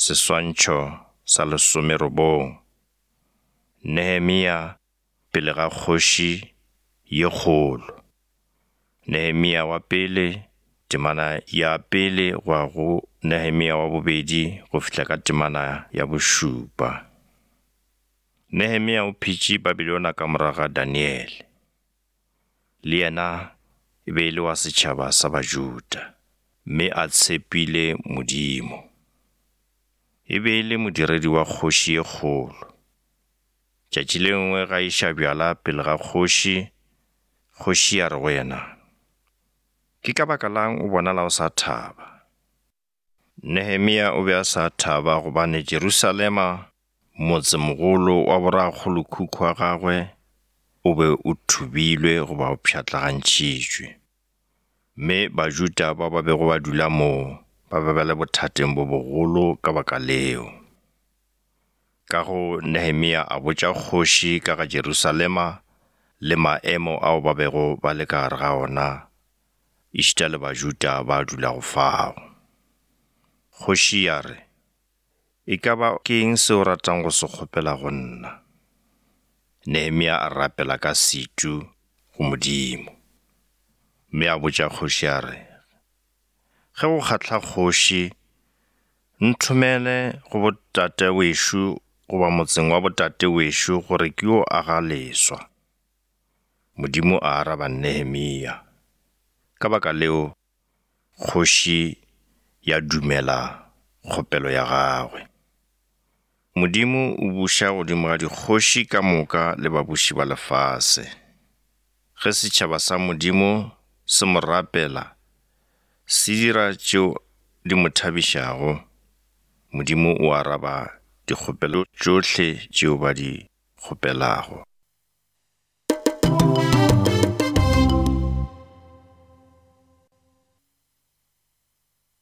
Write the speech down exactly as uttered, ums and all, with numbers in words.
Seswantšho sa lesomerobong. Nehemia pele ga kgoši ye kgolo. Nehemia wa pele, temana ya pele go ya go Nehemia wa bobedi go fihla ka temana ya bošupa. Nehemia o phetše Babilona ka morago ga Daniele. Le yena e be e le wa setšhaba sa Bajuda, mme a tshepile Modimo. E be e le modiredi wa kgoši ye kgolo. Tšatši le lengwe ga iša bjala pele ga kgoši, kgoši ya re go yena, ke ka baka lang o bonala o sa thaba? Nehemia o be a sa thaba gobane Jerusalema, motsemogolo wa borakgolokhukhu wa gagwe, o be o thubilwe goba o pšhatlagantšhitšwe. Mme Bajuda ba ba bego ba dula moo ba be ba le bothateng bo bogolo ka baka leo. Ka go Nehemia a botša kgoši ka ga Jerusalema le maemo ao ba bego ba le ka gare ga ona, ešita le Bajuda ba dulago fao. Kgoši ya re, e ka ba ke eng se o ratang go se kgopela go nna? Nehemia a rapela ka setu go Modimo. Mme a botša kgoši a re, ge go kgahla kgoši, nthomele go botate wešo goba motseng wa botate wešo gore ke yo aga leswa. Modimo a araba Nehemia. Ka baka leo, kgoši ya dumela kgopelo ya gagwe. Modimo o buša godimo ga dikgoši ka moka le babuši ba lefase. Ge setšhaba sa Modimo se mo rapela, se dira tšeo di mo thabišago, Modimo o araba dikgopelo tšohle tšeo ba di kgopelago.